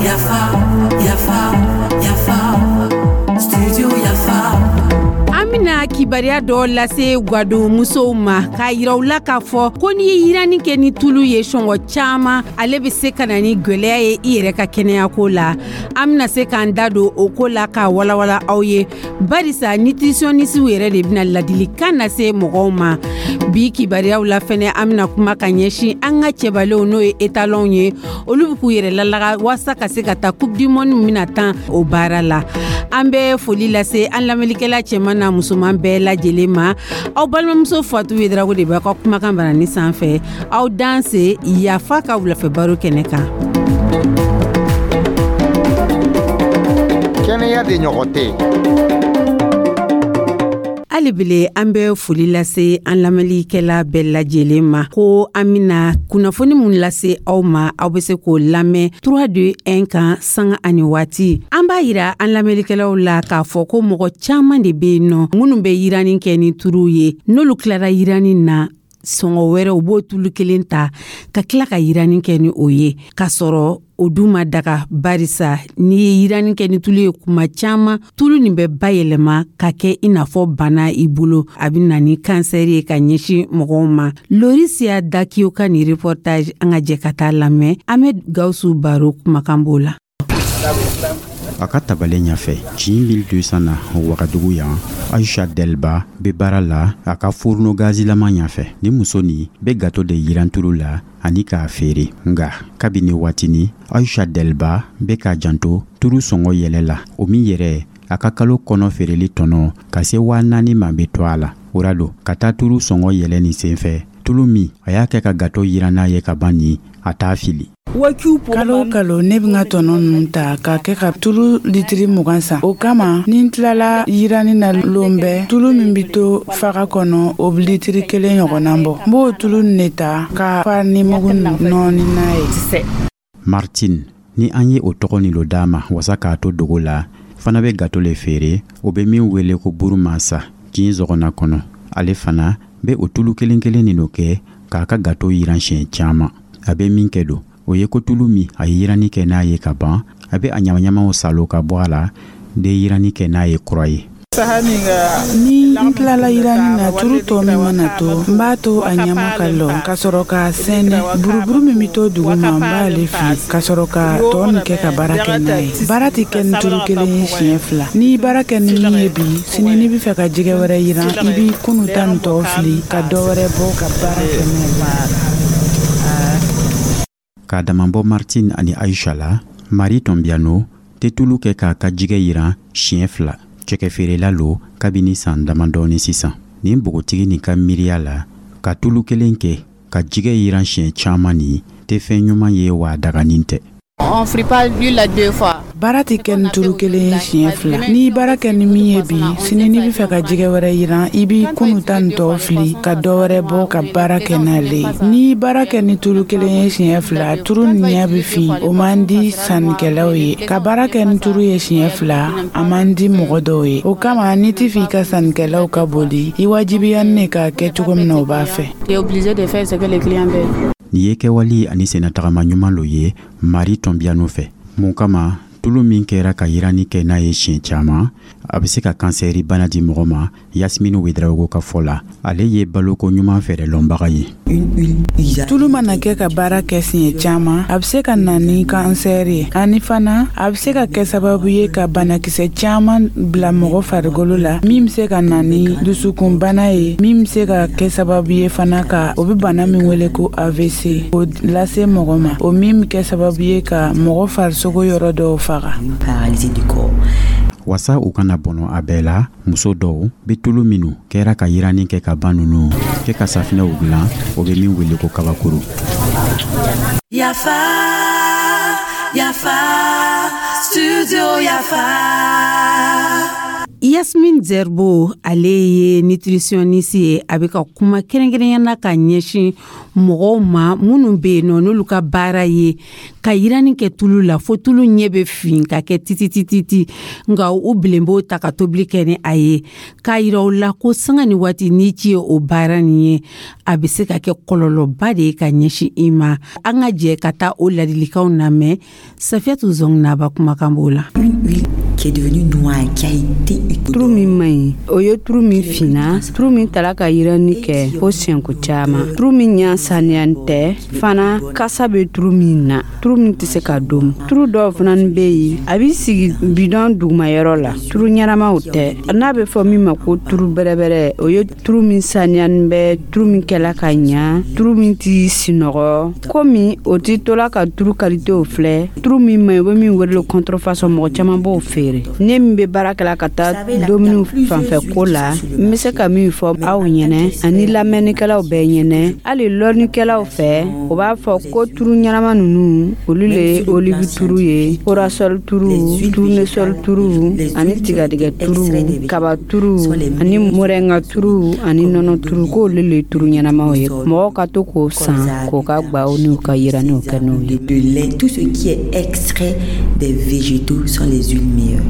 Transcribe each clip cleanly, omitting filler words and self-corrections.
Yafa, yafa, yafa, studio Yafa. An bena kibariya dɔ lase gwadon musow ma k'a yira u la k'a fɔ ko n'i ye yiranni kɛ ni tulu ye sɔngɔ caaman, ale be se ka na ni gwɛlɛya ye i yɛrɛ ka kɛnɛyako la. An bena se k'an da don o ko la k'a walawala aw ye, barisa nutritionnisiw yɛrɛ de bena ladilikan lase mɔgɔw ma. Bi kibariyaw la fɛnɛ, an bena kuma ka ɲɛsin an ka cɛbalenw, n'o ye etalɔnw ye, olu be k'u yɛrɛ lalaga waasa ka se ka taa Coupe du monde min bena tan o baara la. An bɛ foli lase an lamɛnlikɛla cɛman n'a musoman bɛɛ lajɛlen ma. Aw balimamuso Fatu Wedrago de b'a ka kumakan barani sanfɛ. Aw danse Yafa ka wulafɛ baro kɛnɛ kan. Kɛnɛya de ɲɔgɔn tɛ. Hali bile, an bɛ foli lase an lamɛnlikɛla bɛɛ lajɛlen ma ko an bena kunnafoni mun lase aw ma, aw be se k'o lamɛn 3 2 1 kan sanga ani waati. An b'a yira an lamɛnlikɛlaw la k'a fɔ ko mɔgɔ caaman de be yen nɔ minnu bɛ yiranni kɛ ni turu ye. N'olu tilara yiranni na, sɔngɔ wɛrɛ u b'o tulu kelen ta ka tila ka yiranni kɛ ni o ye, k'a sɔrɔ o dun ma daga, barisa n'i ye yiranni kɛ ni tulu ye kuma caman, tulu nin bɛ bayɛlɛma ka kɛ i n'a fɔ bana i bolo, a bɛ na ni kansɛri ye ka ɲɛsin mɔgɔw ma. Lorisiya Dakiyo ka nin reportage, an ka jɛ ka taa lamɛn. Ahmed Gawusu Baro kumakan b'o la. A ka tabale ɲɛfɛ kin 1200 na Wagadugu yan, Aisha Delba bɛ baara la a ka fourneau gazilama ɲɛfɛ. Ni muso nin bɛ gato de yiran tulu la ani k'a feere. Nka kabini waatini, Aisha Delba bɛ k'a janto turu sɔngɔ yɛlɛ la, o min yɛrɛ a ka kalo kɔnɔ feereli tɔnɔ ka se 4000 ma bɛ to a la. O ra don ka taa turu sɔngɔ yɛlɛ nin senfɛ, tulu min a y'a kɛ ka gato yiran n'a ye ka ban nin, a t'a fili. Kalo o kalo, ne bɛ n ka tɔnɔ ninnu ta k'a kɛ ka tulu litiri 20 san. O kama, ni n tilala yiranni na lon bɛɛ, tulu min bɛ to faga kɔnɔ, o bɛ litiri 1 ɲɔgɔnna bɔ. N b'o tulu nin de ta ka farini mugu nɔɔni n'a ye. Martine, ni an ye o tɔgɔ nin lo d'a ma wasa k'a to dogo la, fana bɛ gato le feere, o bɛ min wele ko buru masa kin zɔgɔnna kɔnɔ. Ale fana bɛ o tulu kelen kelen nin lo kɛ k'a ka gato yiran siɲɛ caman. A bɛ min kɛ don, o ye ko tulu min a ye yiranni kɛ n'a ye ka ban, a bɛ a ɲamaɲamaw salo ka bɔ a la de yiranni kɛ n'a ye kura ye. Ni n tilala yiranni na, turu tɔ min mana to, n b'a to a ɲama ka lɔ ka sɔrɔ k'a sɛnɛ. Buruburu min bɛ to duguma, n b'ale fili ka sɔrɔ ka tɔ nin kɛ ka baara kɛ n'a ye. Baara tɛ kɛ ni turu kelen ye siɲɛ fila. N'i baara kɛ ni min ye bi, sini n'i bɛ fɛ ka jɛgɛ wɛrɛ yiran, i b'i kunu ta nin tɔ fili ka dɔ wɛrɛ bɔ ka baara kɛ n'a ye. K'a damabɔ Martine ani Aisha la, Marie Tɔnbiano tɛ tulu kɛ k'a ka jɛgɛ yiran siɲɛ fila. Cɛkɛfeerela lo kabini san damadɔni sisan. Nin npogotigi nin ka miiriya la, ka tulu kelen kɛ ka jɛgɛ yiran siɲɛ caman nin tɛ fɛn ɲuman ye, wa a daganin tɛ. On frit pas l'huile deux fois. Baara tɛ kɛ ni turu kelen ye siɲɛ fila. N'i baara kɛ ni min ye bi, sini n'i bɛ fɛ ka jɛgɛ wɛrɛ yiran, i b'i kunu ta nin tɔ fili ka dɔ wɛrɛ bɔ ka baara kɛ n'ale ye. N'i baara kɛ ni tulu kelen ye siɲɛ fila, turu nin ɲɛ bɛ fin, o man di sannikɛlaw ye. Ka baara kɛ ni turu ye siɲɛ fila, a man di mɔgɔ dɔw ye. O kama, n'i tɛ fɛ i ka sannikɛlaw ka boli, i wajibiya ne k'a kɛ cogo min na, o b'a fɛ. Tu es obligé de faire ce que les clients veulent. Nin ye kɛwale ani sennatagama ɲuman lo ye Marie Tɔnbiano fɛ. Mun kama, tulu min kɛra ka yiranni kɛ n'a ye siɲɛ caman, a bɛ se ka kansɛri bana di mɔgɔ ma. Yasmine Wedraogo ka fɔ la, ale ye baloko ɲuman fɛɛrɛ lɔnbaga ye. Tulu mana kɛ ka baara kɛ siɲɛ caman, a bɛ se ka na ni kansɛri ye. Ani fana, a bɛ se ka kɛ sababu ye ka banakisɛ caman bila mɔgɔ farikolo la, min bɛ se ka na ni dusukunbana ye, min bɛ se ka kɛ sababu ye fana ka o bɛ bana min wele ko AVC, o lase mɔgɔ ma, o min bɛ kɛ sababu ye ka mɔgɔ farisogo yɔrɔ dɔw faga. Wasa u kana bɔnɔ a bɛɛ la, muso dɔw bɛ tulu minnu kɛra ka yiranni kɛ ka ban ninnu kɛ ka safinɛw dilan, o bɛ min wele ko kabakuru. Yafa, yafa, studio Yafa. Yasmine Zerbo, ale ye nutritionniste ye. A bɛ ka kuma kɛrɛnkɛrɛnya na ka ɲɛsin mɔgɔw ma minnu bɛ yen nɔ, n'olu ka baara ye ka yiranni kɛ tulu la fo tulu ɲɛ bɛ fin ka kɛ titititi, nka u bilen b'o ta ka tobili kɛ ni a ye, k'a yira u la ko sanga ni waati n'i ci ye o baara nin ye, a bɛ se ka kɛ kɔlɔlɔba de ye ka ɲɛsin i ma. An ka jɛ ka taa o ladilikanw lamɛn. Safiyatu Zɔnginaba kumakan b'o la. Qui est devenu noir, qui a été Turu min man ɲi, o ye turu min finna, turu min tala ka yiranni kɛ fo siɲɛko caman, turu min ɲa saniyani tɛ fana, kasa bɛ turu min na, turu min tɛ se ka domu. Turu dɔw fana bɛ yen, a b'i sigi bidɔn dugumayɔrɔ la, turu ɲɛnamaw tɛ, n'a bɛ fɔ min ma ko turu bɛrɛbɛrɛ. O ye turu min saniyani bɛ, turu min kɛla ka ɲa, turu min t'i sinɔgɔ, komi o t'i tola ka turu kalitew filɛ. Turu min man ɲi, u bɛ min wele contrefaçon, mɔgɔ caman b'o feere. Ne min bɛ baara kɛla ka taa dumuni fanfɛ ko la, n bɛ se ka min fɔ aw ɲɛnɛ ani lamɛnnikɛlaw bɛɛ ɲɛnɛ, hali lɔnnikɛlaw fɛ, o b'a fɔ ko turu ɲɛnama ninnu, olu le ye olive turu ye, corasol turu, tournesol turu ani tigadigɛ turu, kaba turu ani moringa turu ani nɔnɔ turu, k'olu le ye turu ɲɛnamaw ye. Mɔgɔw ka to k'o san k'o ka gbaw n'u ka yiranniw kɛ n'o ye. De lait, tout ce qui est extrait des végétaux sont les huiles meilleures.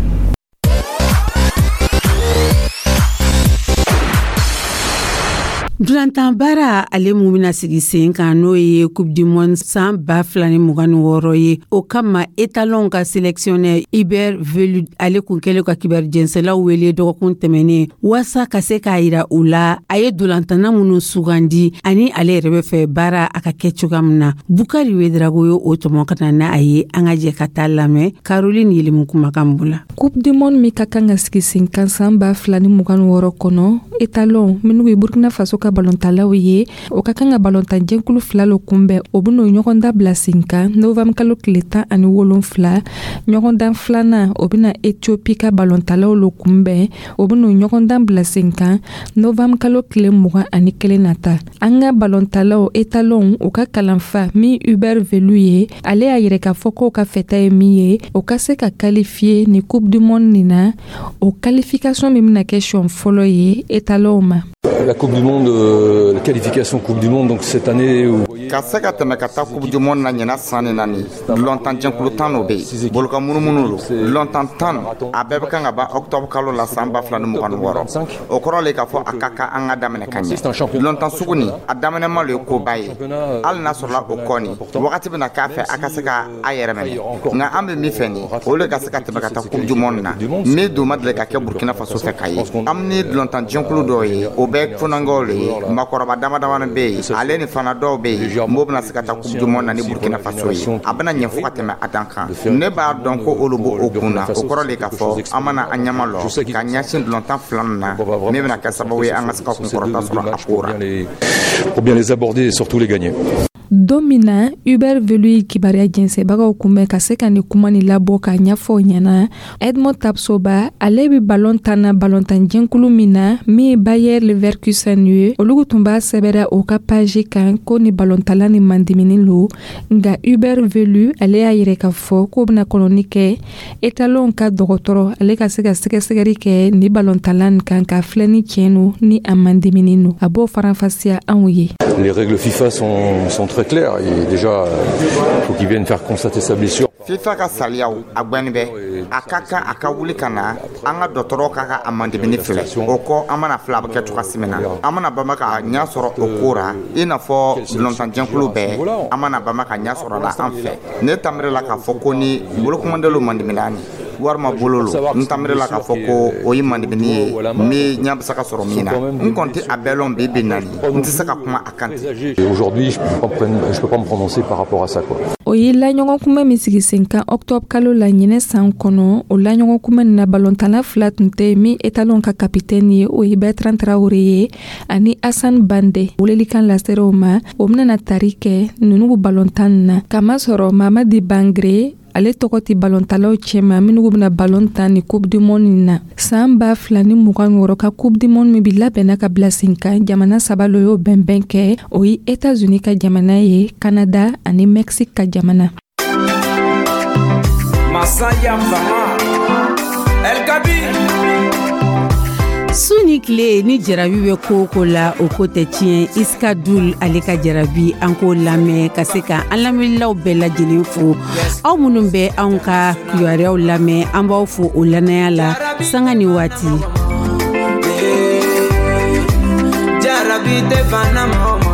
Dulantan baara ale mun bɛna sigi sen kan, n'o ye Coupe du Monde san 2026 ye, o kama étalon ka sélectionneur Hubert Velud, ale kun kɛlen ka kibaru jɛnsɛlaw wele dɔgɔkun tɛmɛnen waasa ka se k'a yira u la a ye dulantanna minnu sugandi ani ale yɛrɛ bɛ fɛ baara a ka kɛ cogoya min na. Bukari Wedrago ye o tɔmɔ ka na n'a ye. An ka jɛ ka taa lamɛn Caroline Yelimu kumakan bula. Coupe du Monde min ka kan ka sigi sen kan san 2026 kɔnɔ, étalon minnu ye Burkina Faso ka balontalaw ye, o ka kan ka balontan jɛkulu fila lo kunbɛn. O ben'o ɲɔgɔndan bila sen kan novembre kalo tile 17. Ɲɔgɔndan filanan, o bena Ethiopie ka balontalaw lo kunbɛn. O ben'o ɲɔgɔndan bila sen kan novembre kalo tile 21 nata. An ka balontalaw étalon, u ka kalanfa min Hubert Velud ye, ale y'a yɛrɛ k'a fɔ k'o ka fɛta ye min ye, o ka se ka qualifier ni Coupe du Monde nin na. O qualification min bena kɛ siɲɛ fɔlɔ ye étalonw ma. La Coupe du Monde, la qualification Coupe du Monde, donc cette année... Où... Ka se ka tɛmɛ ka taa Coupe du Monde na ɲina san ni naani, lɔntan jɛnkulu 10 o bɛ yen, boloka munumunu lo lɔntan 10, a bɛɛ bɛ kan ka ban octobre kalo la san 2026. O kɔrɔ le k'a fɔ a ka kan an ka daminɛ ka ɲɛ. Lɔntan sugu nin, a daminɛma lo ye koba ye, hali n'a sɔrɔla o kɔ nin wagati bɛna k'a fɛ a ka se ka a yɛrɛ minɛ. Nka an bɛ min fɛ nin, o le ka se ka tɛmɛ ka taa Coupe du Monde na, min dun ma deli ka kɛ Burkina Faso fɛ ka ye. An ni lɔntan jɛnkulu dɔw ye, o bɛɛ funankɛw le ye, maakɔrɔba dama damani bɛ yen, ale ni fana dɔw bɛ yen m'o bɛna se ka taa Coupe du Monde na ni Burkina Faso ye. A bɛna ɲɛ fo ka tɛmɛ a dan kan. Ne b'a dɔn ko olu b'o kun na. O kɔrɔ le k'a fɔ an mana an ɲɛma lɔ ka ɲɛsin lɔntan fila nin na, min bɛna kɛ sababu ye an ka se ka kunkɔrɔta sɔrɔ a ko ra. Pour bien les aborder et surtout les gagner. Don min na Hubert Velud kibaruya jɛnsɛbagaw kunbɛn ka se ka ni kuma ni labɔ k'a ɲɛfɔ o ɲɛna, Edmond Tapsoba, ale bɛ balon tan na balontan jɛnkulu min na, min ye Bayer Leverkusen ye, olu tun b'a sɛbɛra o ka page kan ko ni balontala ni mandimini lo. Nka Hubert Velud, ale y'a yɛrɛ k'a fɔ k'o bɛna kɔnɔni kɛ étalon ka dɔgɔtɔrɔ, ale ka se ka sɛgɛsɛgɛli kɛ ni balontala nin kan k'a filɛ ni tiɲɛ no ni a mandimini no. A b'o faranfasiya anw ye. Les règles FIFA sont très claires et déjà il faut qu'il vienne faire constater sa blessure. FIFA ka saliyaw a gbɛnni bɛ, a ka kan a ka wuli ka na an ka dɔgɔtɔrɔw ka ka a mandimini filɛ. O kɔ, an mana filɛ a bɛ kɛ cogoya min na, an mana bama ka ɲɛ sɔrɔ o ko ra, i n'a fɔ lɔntanjɛkulu bɛɛ, an mana bama ka ɲɛ sɔrɔ la an fɛ. Ne tanbere la k'a fɔ ko ni bolokumandelo mandimina ni walima bolo lo, n tanbere la k'a fɔ ko o ye mandimini ye min ɲɛ bɛ se ka sɔrɔ min na. N kɔni tɛ a bɛɛ lɔn bi bi naani, n tɛ se ka kuma a kan ten. Aujourd'hui, je peux pas me prononcer par rapport à ça, quoi. O ye laɲɔgɔnkunbɛn min sigi sen kan octobre kalo la ɲinɛ san kɔnɔ. O laɲɔgɔnkunbɛn nin na, balontanna fila tun tɛ min étalon ka capitaine ye, o ye Bertrand Traoré ye ani Hassan Bande. Welelikan laseraw ma, o bɛna tari kɛ ninnu balontan nin na, kamasɔrɔ Mamadi Bangre, ale tɔgɔ tɛ balontalaw cɛma minnu bɛna balon tan ni Coupe du Monde nin na. San 2026 ka Coupe du Monde min bi labɛnna ka bila sen kan, jamana saba lo y'o bɛnbɛn kɛ. O ye États-Unis ka jamana ye, Canada ani Mexique ka jamana. Masaya Fama El Kabi. Su ni tile, ni jarabi bɛ ko o ko la, o ko tɛ tiɲɛ. Iska Dul, ale ka jarabi, an k'o lamɛn ka se ka an lamɛnlilaw bɛɛ lajɛlen fo. Aw minnu bɛ anw ka kibaruyaw lamɛn, an b'aw fo o lannaya la sanga ni waati. Jarabi tɛ fana mɔgɔ.